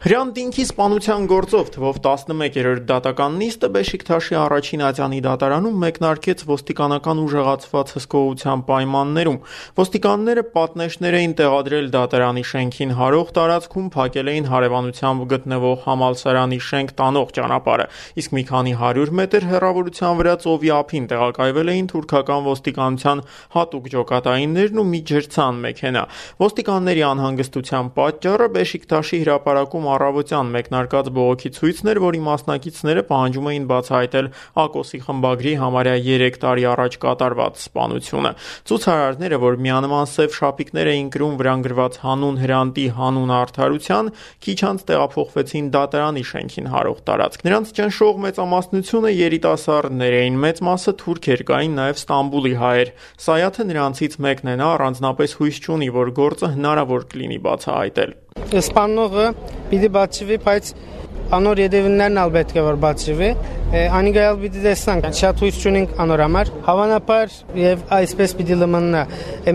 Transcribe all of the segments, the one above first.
Հրյան Դինքի սպանության գործով թվով 11-րդ դատական նիստը Բեշիկթաշի առաջին ատյանի դատարանում մեկնարկեց ոստիկանական ուժեղացված հսկողության պայմաններում։ Ոստիկանները պատնեշներ էին տեղադրել դատարանի շենքին հարող տարածքում, փակել էին հարևանությամբ գտնվող համալսարանի շենք տանող ճանապարհը, իսկ մի քանի 100 մետր հեռավորության վրա ծովի ափին տեղակայվել էին թուրքական ոստիկանության հատուկ ջոկատայիններն ու մի ջրցան մեքենա։ Ոստիկանների անհանգստության պատճառը Բեշիկթաշի հրապարակում առավոտյան մեկնարկած բողոքի ցույցն էր, որի մասնակիցները պահանջում էին բացահայտել Ակոսի խմբագրի համարյա 3 տարի առաջ կատարված սպանությունը։ Ցուցարարները, որ միանման սև շապիկներ էին կրում վրան գրված հանուն Հրանտի, հանուն արդարության, քիչ անց տեղափոխվեցին դատարանի շենքին հարող տարածք։ Նրանց ճնշող մեծամասնությունը երիտասարդներ էին, մեծ մասը թուրքեր, կային նաև Ստամբուլի հայեր։ Սայաթը նրանցից մեկն է, նա առանձնապես հույս չունի, որ գործը հնարավոր կլինի բացահայտել։ Սպանողը պիտի բացվի, բայց անոր յետևիններն ալ պետք է որ բացվի, անիգայալ պիտի տեսնանք, շատ հույս չունենք անոր համար, հավանաբար եւ այսպես պիտի լմնա,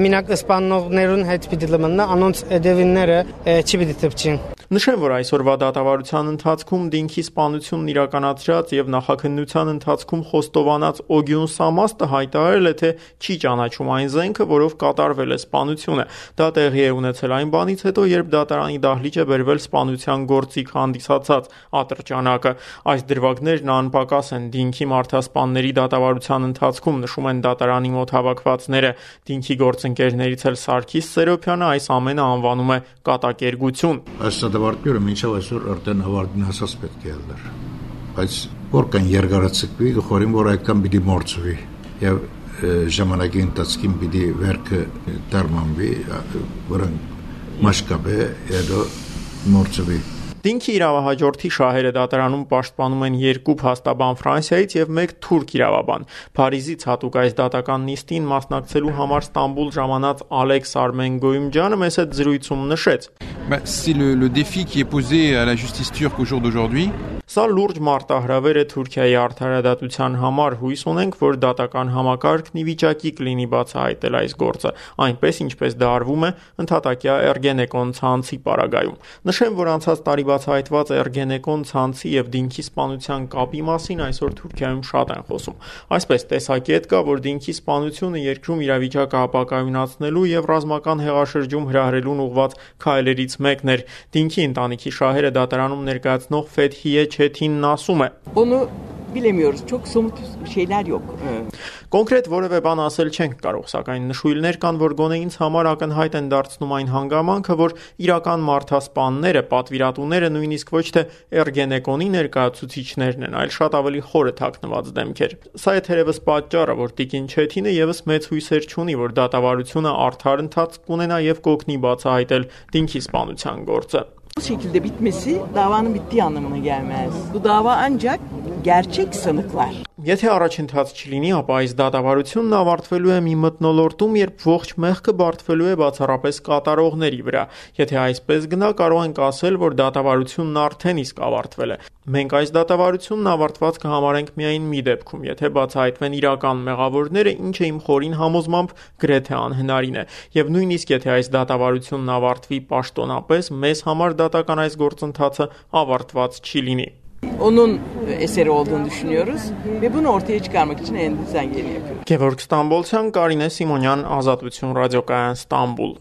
մինակ սպանողներուն հետ պիտի լմնա, անոնց յետևինները չի պիտի թփչին։ Նշեմ, որ այսօրվա դատավարության ընթացքում Դինքի սպանությունն իրականացրած եւ նախաքննության ընթացքում խոստովանած Օգյուն Սամաստը հայտարարել է, թե չի ճանաչում այն զենքը, որով կատարվել է սպանությունը։ Դա տեղի է ունեցել այն բանից հետո, երբ դատարանի դահլիճ է բերվել սպանության գործիք հանդիսացած ատրճանակը։ Այս դրվագներն անպակաս են Դինքի մարդասպանների դատավարության ընթացքում, նշում են դատարանի մոտ հավաքվածները։ Դինքի գործընկերներից էլ Սարգիս Սերոբյանը այս ամենը անվանում է կատակերգություն։ Դատավարությունը մինչև այսօր արդեն ավարտին հասած պետք է ելներ, բայց որքան երկարացկվի, խորին որ այդքան պիտի մորցվի եւ ժամանակի ընթացքում պիտի վերքը դառնանվի, որն մաշկաբե հետո մորցվի։ Դինքի իրավահաջորդի շահերը դատարանում պաշտպանում են 2 փաստաբան Ֆրանսիայից եւ 1 թուրք իրավաբան։ Փարիզից հատուկ այս դատական նիստին մասնակցելու համար Ստամբուլ ժամանած Ալեքս Արմենգոյումջանը մեծ հետ զրույցում նշեց. C'est le défi qui est posé à la justice turque au jour d'aujourd'hui. Սա լուրջ մարտահրավեր է Թուրքիայի արդարադատության համար, հույս ունենք, որ դատական համակարգն ի վիճակի կլինի բացահայտել այս գործը, այնպես ինչպես դա արվում է ընդհատակյա Էրգենեկոն ցանցի պարագայում։ Նշեմ, որ անցած տարի բացահայտված Էրգենեկոն ցանցի եւ Դինքի սպանության կապի մասին այսօր Թուրքիայում շատ են խոսում։ Այսպես տեսակետ կա, որ Դինքի սպանությունը երկրում իրավիճակը ապակայունացնելու եւ ռազմական հեղաշրջում հրահրելուն ուղղված քայլերից մեկն էր։ Դինքի ընտանիքի շահերը դատարանում ներկայացնող Ֆեթհիե Չեթինն ասում է. Onu bilemiyoruz. Çok somut şeyler yok. Կոնկրետ որևէ բան ասել չենք կարող, սակայն նշույլներ կան, որ գոնե ինձ համար ակնհայտ են դարձնում այն հանգամանքը, որ իրական մարդասպանները, պատվիրատուները նույնիսկ ոչ թե Էրգենեկոնի ներկայացուցիչներն են, այլ շատ ավելի խորը թաքնված դեմքեր։ Սա է թերևս պատճառը, որ տիկին Չեթինը եւս մեծ հույսեր չունի, որ դատավարությունը արդար ընթացք կունենա եւ կօգնի բացահայտել Դինքի սպանության գործը։ Bu şekilde bitmesi davanın bittiği anlamına gelmez. Bu dava ancak gerçek sanıklar. Եթե առաջընթաց չլինի, ապա այս դատավարությունն ավարտվելու է մի մթնոլորտում, երբ ողջ մեղքը բարդվելու է բացառապես կատարողների վրա։ Եթե այսպես գնա, կարող ենք ասել, որ դատավարությունն արդեն իսկ ավարտվել է։ Մենք այս դատավարությունն ավարտված կհամարենք միայն մի դեպքում, եթե բացահայտվեն իրական մեղավորները, ինչը իմ խորին համոզմամբ գրեթե անհնարին է։ Եվ նույնիսկ եթե այս դատավարությունն ավարտվի պաշտոնապես, մեզ համար դատական այս գործընթացը ավարտված չի լինի։ Onun eseri olduğunu düşünüyoruz ve bunu ortaya çıkarmak için elimizden geleni yapıyoruz. Գևորգ Ստամբոլցյան, Կարինե Սիմոնյան, Ազատություն ռադիոկայան, Ստամբուլ։